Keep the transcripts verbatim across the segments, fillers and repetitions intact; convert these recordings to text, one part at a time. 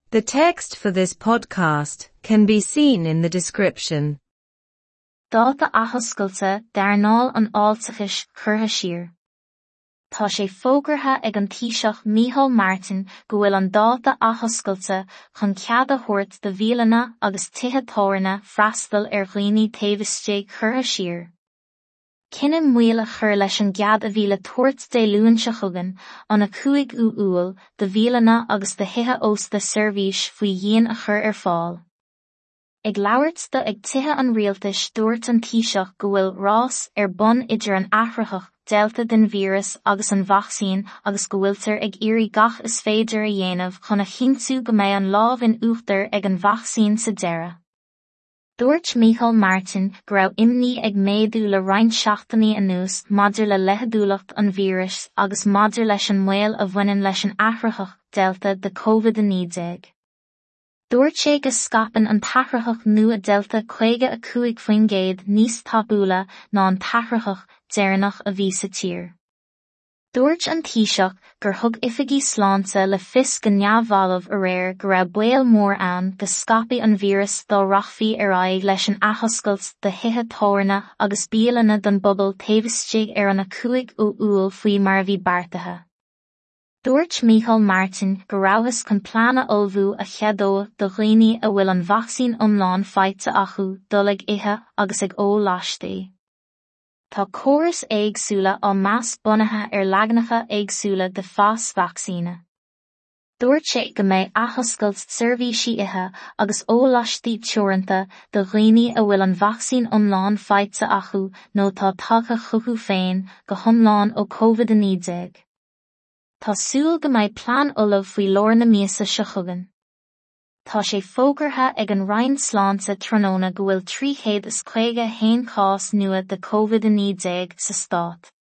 The text for this podcast can be seen in the description. Dáta athoscailte d'earnáil an fháilteachais curtha siar. Tá sé fógartha ag an Taoiseach Micheál Martin go bhfuil an dáta athoscailte chun cead a thabhairt do bhialanna agus tithe tábhairne freastal ar dhaoine taobh istigh curtha siar. Cinneadh moill a chur leis an gcead a bhí le tabhairt Dé Luain seo chugainn, an a cúigiú Iúil, do bhialanna agus do thithe ósta seirbhís faoi dhíon a chur ar fáil. Ag labhairt dó ag Tithe an Rialtais dúirt an Taoiseach go bhfuil rás ar bun idir an athraitheach Delta den víreas agus an vacsaín agus go bhfuiltear ag iarraidh gach is féidir a dhéanamh chun a chinntiú go mbeidh an lámh in uachtar ag an vacsaín sa deireadh. Dúirt Micheál Martin go raibh imní ag méadú le roinnt seachtainí anuas maidir le leitheadúlacht an víris agus maidir leis an mbaol a bhaineann leis an athraitheach Delta de COVID a naoi déag. Dúirt sé go scaipeann an t-athraitheach nua Delta caoga a cúig faoin gcéad níos tapúla ná an t-athraitheach deireanach a bhí sa tír. Dúirt an Taoiseach gur thug oifigí sláinte le fios go neamhbhalbh aréir go raibh baol mór ann go scaipfeadh an víreas dá rachfaí ar aghaidh leis an athoscailt do thithe tábhairne agus bialanna don bpobal taobh istigh ar an a cúigiú Iúil faoi mar a bhí beartaithe. Dúirt Micheál Martin go rabhthas chun plean a ullmhú a cheadódh do dhaoine a bhfuil an vacsaín iomlán faighte acu dul ag ithe agus ag ól laistigh. Tá córais éagsúla á meas bunaithe ar leaganacha éagsúla de phas vacsaíne. Dúirt sé go mbeidh athoscailt seirbhísí ithe agus ól laistigh teoranta do dhaoine a bhfuil an vacsaín iomlán faighte acu nó atá tagtha chucu féin go hiomlán ó COVID a naoi déag. Tá súil go mbeidh plean ullamh faoi lár na míosa seo chugainn. Tá sé fógartha ag an Roinn Sláinte tráthnóna go bhfuil trí chéad is caoga a haon cás nua de COVID a naoi déag sa stát.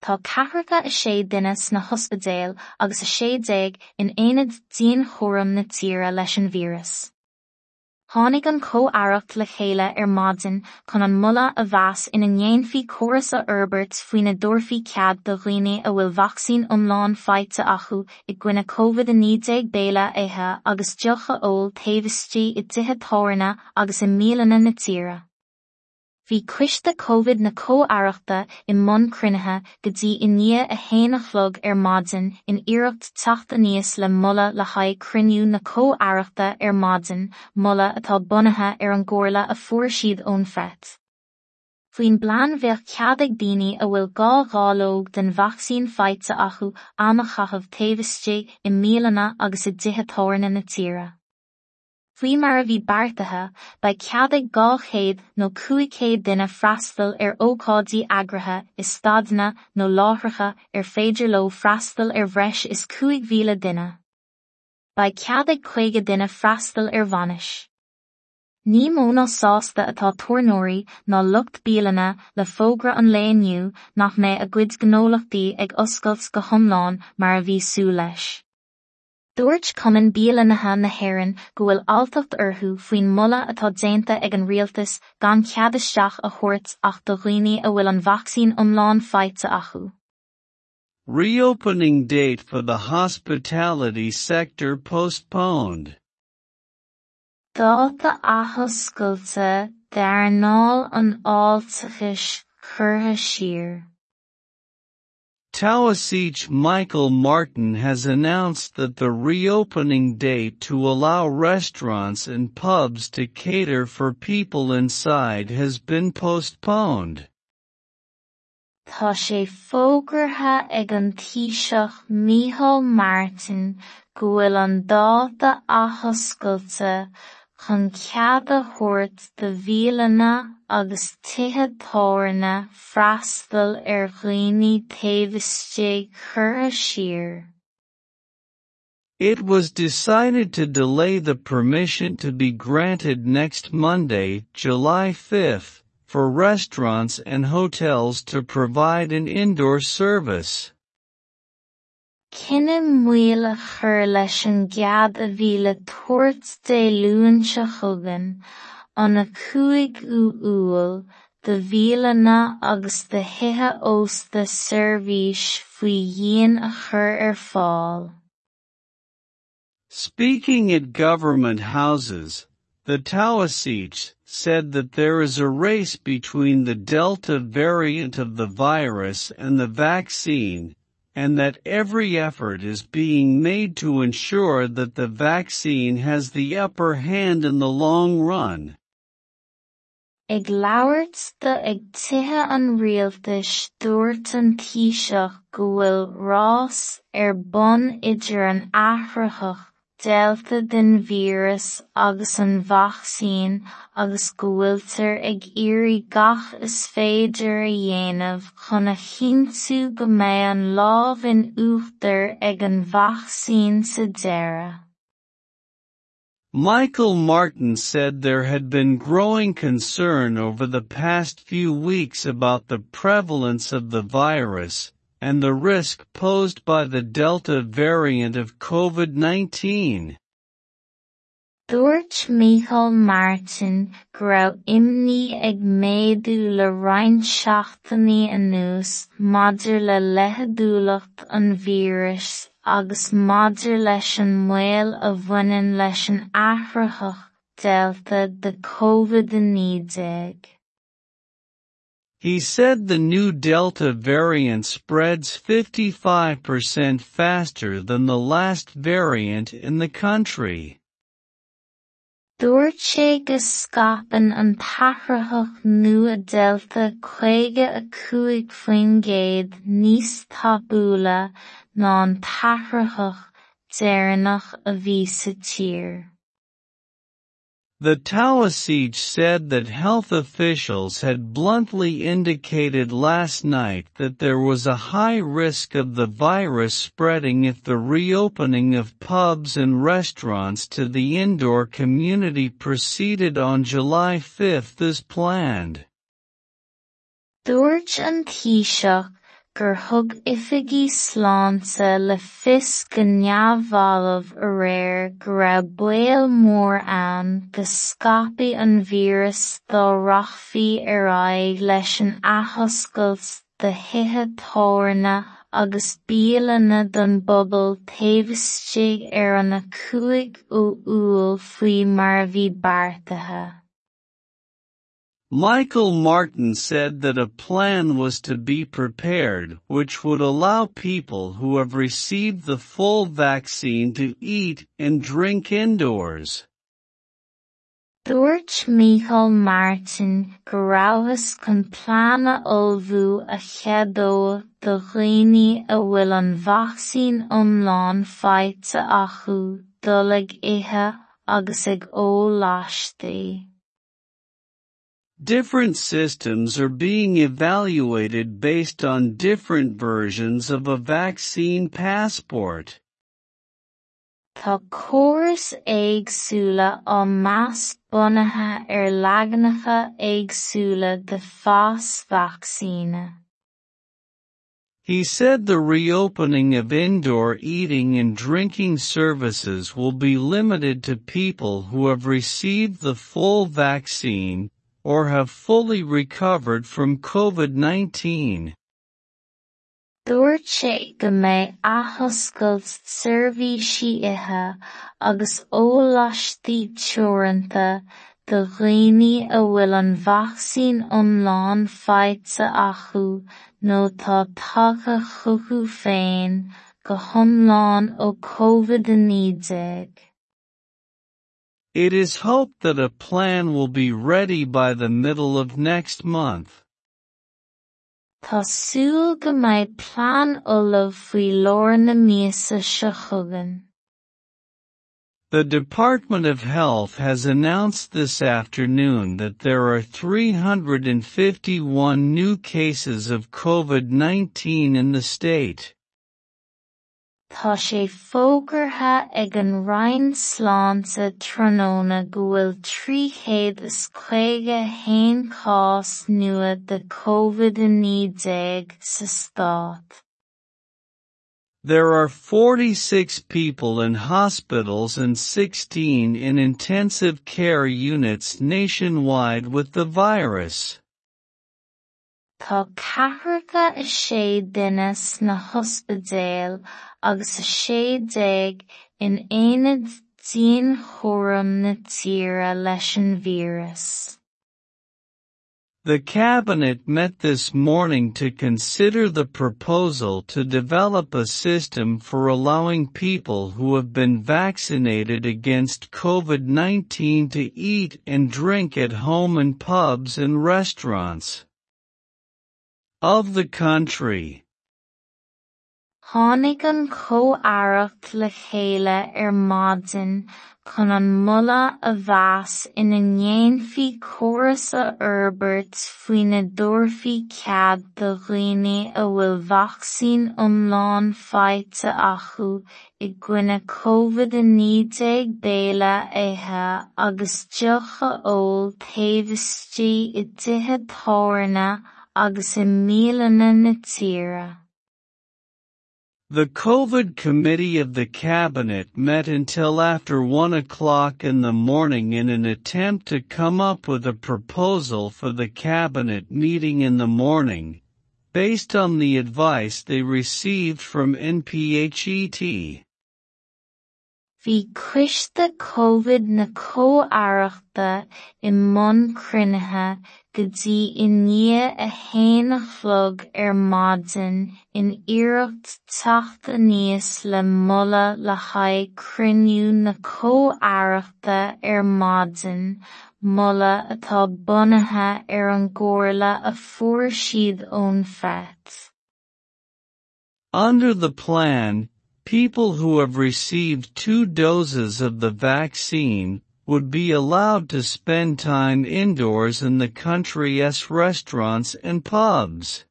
Tá ceathracha a sé duine sna hospidéil agus a sé déag in aonad dianchúraim na tíre leis an víreas. Tháinig an Chomh-Aireacht le chéile ar maidin chun an moladh a mheas ina ndéanfaí córas a fhorbairt faoina dtabharfaí cead do dhaoine a bhfuil vacsaín iomlán faighte acu i gcoinne COVID a naoi déag béile a ithe agus deoch a ól taobh istigh i dtithe tábhairne agus i mbialanna na tíre. Bhí coiste COVID na Comh-Aireachta i mbun cruinnithe go dtí i ndiaidh a haon a chlog ar maidin in iarracht teacht aníos le moladh le haghaidh cruinniú na Comh-Aireachta ar maidin, moladh atá bunaithe ar an gcomhairle a fuair siad ón Nphet. Faoin bplean bheadh cead ag daoine a bhfuil dhá dháileog den vacsaín faighte acu am a chaitheamh taobh istigh i mbialanna agus i dtithe tábhairne na tíre. Faoi mar a bhí beartaithe, beidh cead ag dhá chéad nó cúig chéad duine freastal ar ócáidí eagraithe i staideanna nó láithreacha ar féidir leo freastal ar bhreis is cúig mhíle duine. Beidh cead ag caoga duine freastal ar bhainis. Ní mó ná sásta atá tábhairneoirí ná lucht bialanna le fógra an lae inniu nach mbeidh a gcuid gnólachtaí ag oscailt go hiomlán mar a bhí súil leis. Dúirt Cumann Bialannaithe na hÉireann go bhfuil alltacht orthu faoin moladh atá déanta ag an rialtas gan cead isteach a thabhairt ach do dhaoine a bhfuil an vacsaín iomlán faighte acu. Reopening date for the hospitality sector postponed. Dáta athoscailte d'earnáil an fháilteachais curtha siar. Taoiseach Michael Martin has announced that the reopening date to allow restaurants and pubs to cater for people inside has been postponed. Tá sé fógartha ag an Taoiseach Micheál Martin go bhfuil an dáta athoscailte chun cead a thabhairt do bhialanna agus tithe tábhairne freastal ar dhaoine taobh istigh curtha siar. It was decided to delay the permission to be granted next Monday, July fifth, for restaurants and hotels to provide an indoor service. Cinneadh moill a chur leis an gcead a bhí le tabhairt Dé Luain seo chugainn, an a cúigiú Iúil, do bhialanna agus do thithe ósta seirbhís faoi dhíon a chur ar fáil. Speaking at government houses, the Taoiseach said that there is a race between the Delta variant of the virus and the vaccine, and that every effort is being made to ensure that the vaccine has the upper hand in the long run. Ag labhairt dó ag Tithe an Rialtais dúirt an Taoiseach go bhfuil rás ar bun idir an athraitheach Delta den víreas agus an vacsaín agus go bhfuiltear ag iarraidh gach is féidir a dhéanamh chun a chinntiú go mbeidh an lámh in uachtar ag an vacsaín sa deireadh. Michael Martin said there had been growing concern over the past few weeks about the prevalence of the virus and the risk posed by the Delta variant of COVID nineteen. Dúirt Micheál Martin go raibh imní ag méadú le roinnt seachtainí anuas maidir le leitheadúlacht an víris agus maidir leis an mbaol a bhaineann leis an athraitheach Delta de COVID a naoi déag. He said the new Delta variant spreads fifty-five percent faster than the last variant in the country. Dúirt sé go scaipeann an t-athraitheach nua Delta caoga a cúig faoin gcéad níos tapúla ná an t-athraitheach deireanach a bhí sa tír. The Taoiseach said that health officials had bluntly indicated last night that there was a high risk of the virus spreading if the reopening of pubs and restaurants to the indoor community proceeded on July fifth as planned. Dúirt an Taoiseach gur thug oifigí sláinte le fios go neamhbhalbh aréir go raibh baol mór ann go scaipfeadh an víreas dá rachfaí ar aghaidh leis an athoscailt do thithe tábhairne agus bialanna don bpobal taobh istigh ar an a cúig Iúil faoi mar a bhí beartaithe. Michael Martin said that a plan was to be prepared which would allow people who have received the full vaccine to eat and drink indoors. Dúirt Micheál Martin go rabhthas chun plean a ullmhú a cheadódh do dhaoine a bhfuil an vacsaín iomlán faighte acu dul ag ithe agus ag ól laistigh. Different systems are being evaluated based on different versions of a vaccine passport. Tá córais éagsúla á meas bunaithe ar leaganacha éagsúla de phas vacsaíne. He said the reopening of indoor eating and drinking services will be limited to people who have received the full vaccine or have fully recovered from COVID nineteen. Dúirt sé go mbeidh athoscailt seirbhísí ithe agus ól laistigh teoranta do dhaoine a bhfuil an vacsaín iomlán faighte acu nó tá tagtha chucu féin go hiomlán ó COVID a naoi déag. It is hoped that a plan will be ready by the middle of next month. Tá súil go mbeidh plean ullamh faoi lár na míosa seo chugainn. The Department of Health has announced this afternoon that there are three hundred and fifty-one new cases of COVID nineteen in the state. Tá sé fógartha ag an Roinn Sláinte tráthnóna go bhfuil trí chéad is caoga haon cás nua de COVID a naoi déag sa stát. There are forty-six people in hospitals and sixteen in intensive care units nationwide with the virus. Tá ceathracha a sé duine sna hospidéil agus a sé déag in aonad dianchúraim na tíre leis an víreas. The Cabinet met this morning to consider the proposal to develop a system for allowing people who have been vaccinated against COVID nineteen to eat and drink at home in pubs and restaurants of the country. Tháinig an chomh-aireacht le chéile ar maidin chun an moladh a mheas ina ndéanfaí córas a fhorbairt faoina dtabharfaí cead do dhaoine a bhfuil vacsaín iomlán faighte acu i gcoinne COVID a naoi déag béile a ithe agus deoch a ól taobh istigh i dtithe tábhairne agus i mbialanna na tíre. The COVID Committee of the Cabinet met until after one o'clock in the morning in an attempt to come up with a proposal for the Cabinet meeting in the morning, based on the advice they received from N P H E T. Bhí coiste COVID na comh-aireachta i mbun cruinnithe go dtí i ndiaidh a haon a chlog ar maidin in iarracht teacht aníos le moladh le haghaidh cruinniú na comh-aireachta ar maidin, moladh atá bunaithe ar an gcomhairle a fuair siad ón N P H E T. Under the plan, people who have received two doses of the vaccine would be allowed to spend time indoors in the country's restaurants and pubs.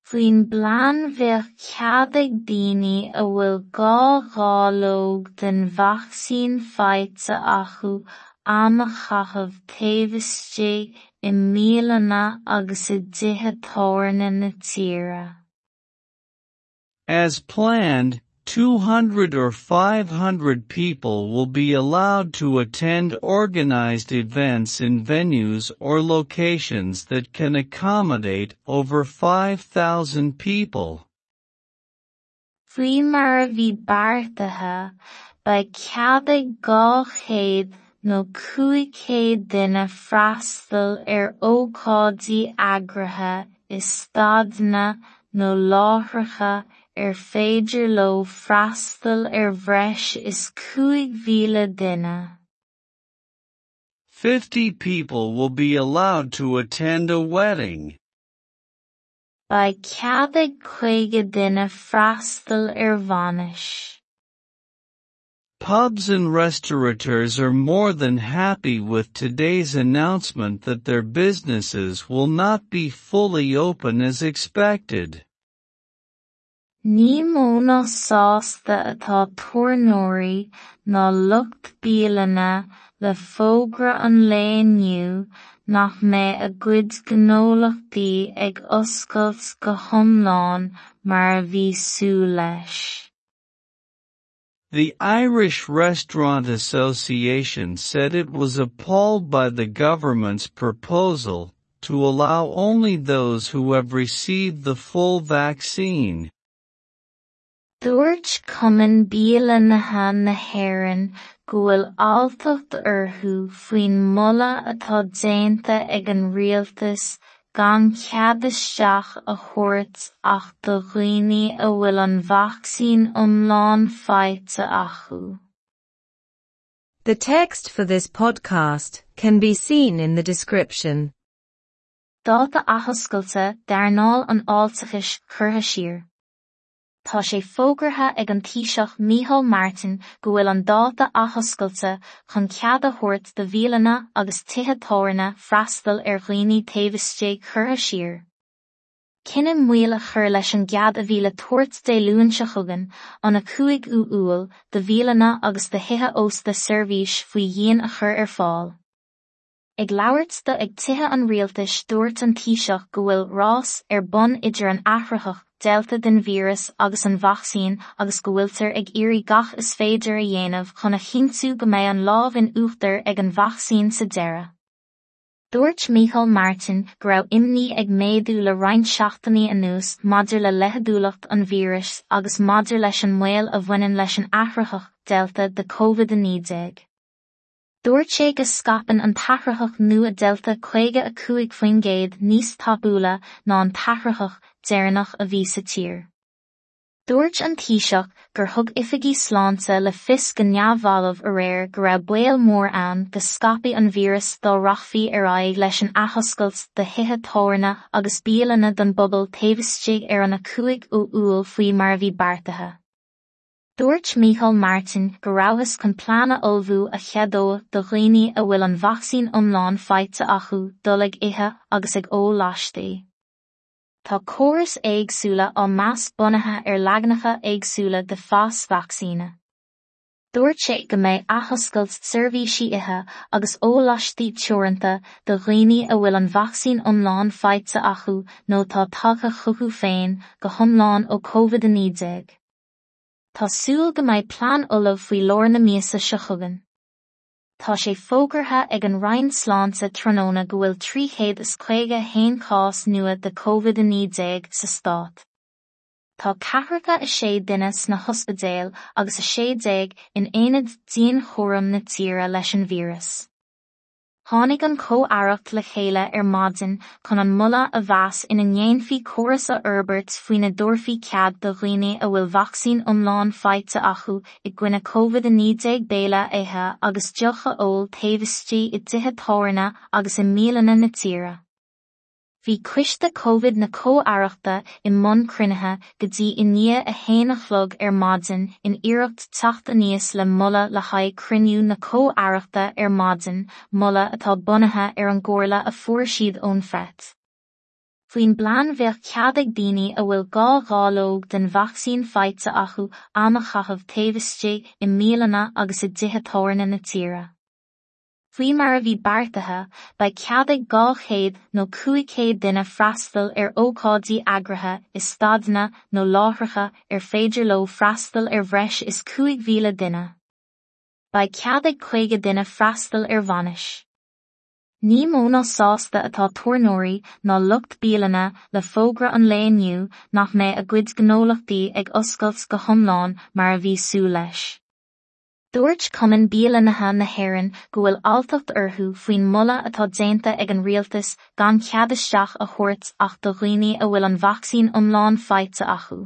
Faoin bplean bheadh cead ag daoine a bhfuil dhá dháileog den vacsaín faighte acu am a chaitheamh taobh istigh i mbialanna agus i dtithe tábhairne na tíre. As planned, two hundred or five hundred people will be allowed to attend organized events in venues or locations that can accommodate over five thousand people. Faoi mar a bhí beartaithe, beidh cead ag dhá chéad nó cúig chéad duine freastal ar ócáidí eagraithe i staideanna nó láithreacha ar féidir leo freastal ar bhreis is cúig mhíle duine. Fifty people will be allowed to attend a wedding. Beidh cead ag caoga duine freastal ar bhainis. Pubs and restaurateurs are more than happy with today's announcement that their businesses will not be fully open as expected. Ní mó ná sásta atá tábhairneoirí ná lucht bialanna le fógra an lae inniu nach mbeidh a gcuid gnólachtaí ag oscailt go hiomlán mar a bhí súil leis. The Irish Restaurant Association said it was appalled by the government's proposal to allow only those who have received the full vaccine. Dúirt Cumann Bialanna na hÉireann go bhfuil alltacht orthu faoin moladh atá déanta ag an rialtas gan cead isteach a thabhairt ach do dhaoine a bhfuil an vacsaín iomlán faighte acu. The text for this podcast can be seen in the description. Dáta athoscailte d'earnáil an fháilteachais curtha siar. Tá sé fógartha ag an Taoiseach Micheál Martin go bhfuil an dáta athoscailte chun cead a thabhairt do bhialanna agus tithe tábhairne freastal ar dhaoine taobh istigh curtha siar. Cinneadh moill a chur leis an gcead a bhí le tabhairt Dé Luain seo chugainn, an a cúigiú Iúil, do bhialanna agus do thithe ósta seirbhís faoi dhíon a chur ar fáil. Ag labhairt do ag tithe an rialtais dúirt an Taoiseach go bhfuil rás ar bun idir an athraitheach Delta den víreas agus an vacsaín agus go bhfuiltear ag iarraidh gach is féidir a dhéanamh chun a chinntiú go mbeidh an lámh in uachtar ag an vacsaín sa deireadh. Dúirt Micheál Martin go raibh imní ag méadú le roinnt seachtainí anuas maidir le leitheadúlacht an víris agus maidir leis an mbaol a bhaineann leis an athraitheach Delta de COVID a naoi déag. Dúirt sé go scaipeann an t-athraitheach nua Delta caoga a cúig faoin gcéad níos tapúla ná an t-athraitheach deireanach a bhí sa tír. Dúirt an Taoiseach gur thug oifigigh sláinte le fios go neamhbhalbh aréir go raibh baol mór ann go scaipfeadh an víreas dá rachfaí ar aghaidh leis an athoscailt do thithe tábhairne agus bialanna don bpobal taobh istigh ar an a cúig Iúil faoi mar a bhí beartaithe. Dúirt Micheál Martin go rabhthas chun plean a ullmhú a cheadódh do dhaoine a bhfuil an vacsaín iomlán faighte acu dul ag ithe agus ag ól laistigh. Tá córais éagsúla á meas bunaithe ar leaganacha éagsúla de phas vacsaíne. Dúirt sé go mbeidh athoscailt seirbhísí ithe agus ól laistigh teoranta do dhaoine a bhfuil an vacsaín iomlán faighte acu nó atá tagtha chucu féin go hiomlán ó COVID a naoi déag. Tá súil go mbeidh plean ullamh faoi lár na míosa seo chugainn. Tá sé fógartha ag an Roinn Sláinte tráthnóna go bhfuil trí chéad is caoga a haon cás nua de COVID a naoi déag sa stát. Tá ceathracha a sé duine sna hospidéil agus a sé déag in aonad dianchúraim na tíre leis an víreas. Tháinig an Chomh-Aireacht le chéile ar maidin chun an moladh a mheas ina ndéanfaí córas a fhorbairt faoina dtabharfaí cead do dhaoine a bhfuil vacsaín iomlán faighte acu i gcoinne COVID a naoi déag béile a ithe agus deoch a ól taobh istigh i dtithe tábhairne agus i mbialanna na tíre. Bhí coiste COVID na Comh-Aireachta i mbun cruinnithe go dtí i ndiaidh a haon a chlog ar maidin in iarracht teacht aníos le moladh le haghaidh cruinniú na Comh-Aireachta ar maidin, moladh atá bunaithe ar an gcomhairle a fuair siad ón Nphet. Faoin bplean bheadh cead ag daoine a bhfuil dhá dháileog den vacsaín faighte acu am a chaitheamh taobh istigh i mbialanna agus i dtithe tábhairne na tíre. Faoi mar a bhí beartaithe, beidh cead ag dhá chéad nó cúig chéad duine freastal ar ócáidí eagraithe i staideanna nó láithreacha ar féidir leo freastal ar bhreis is cúig mhíle duine. Beidh cead ag caoga duine freastal ar bhainis. Ní mó ná sásta atá tábhairneoirí ná lucht bialanna le fógra an lae inniu nach mbeidh a gcuid gnólachtaí ag oscailt go hiomlán mar a bhí súil leis. Dúirt Cumann Bialannaithe na hÉireann go bhfuil alltacht orthu faoin moladh atá déanta ag an rialtas gan cead isteach a thabhairt ach do dhaoine a bhfuil an vacsaín iomlán faighte acu.